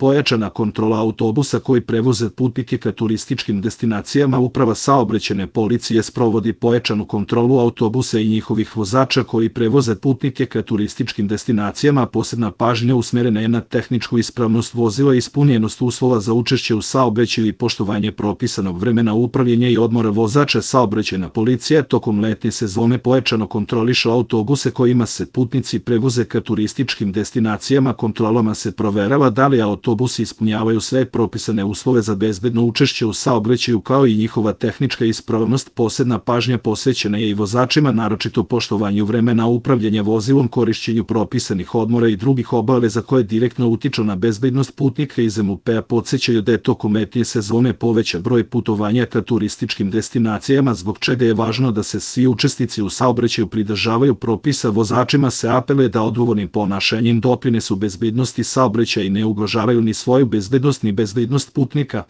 pojačana kontrola autobusa koji prevoze putnike ka turističkim destinacijama. Uprava saobraćajne policije sprovodi pojačanu kontrolu autobusa i njihovih vozača koji prevoze putnike ka turističkim destinacijama. Posebna pažnja usmerena je na tehničku ispravnost vozila, ispunjenost uslova za učešće u saobraćaju i poštovanje propisanog vremena upravljanja i odmora vozača. Saobraćajna policija tokom letnje sezone pojačano kontroliše autobuse kojima se putnici prevoze ka turističkim destinacijama. Kontrolama se proverava da li autobusi ispunjavaju sve propisane uslove za bezbedno učešće u saobraćaju kao i njihova tehnička ispravnost. Posebna pažnja posvećena je i vozačima, naročito poštovanju vremena upravljanja vozilom, korišćenju propisanih odmora i drugih obaveza koje direktno utiču na bezbednost putnika. Iz MUP-a podsećaju da je tokom letnje sezone povećan broj putovanja ka turističkim destinacijama, zbog čega je važno da se svi učesnici u saobraćaju pridržavaju propisa. Vozačima se apeluje da odgovornim ponašanjem doprinesu bezbednosti saobraćaja i ne ugrožavaju ni svoju bezbednost ni bezbednost putnika.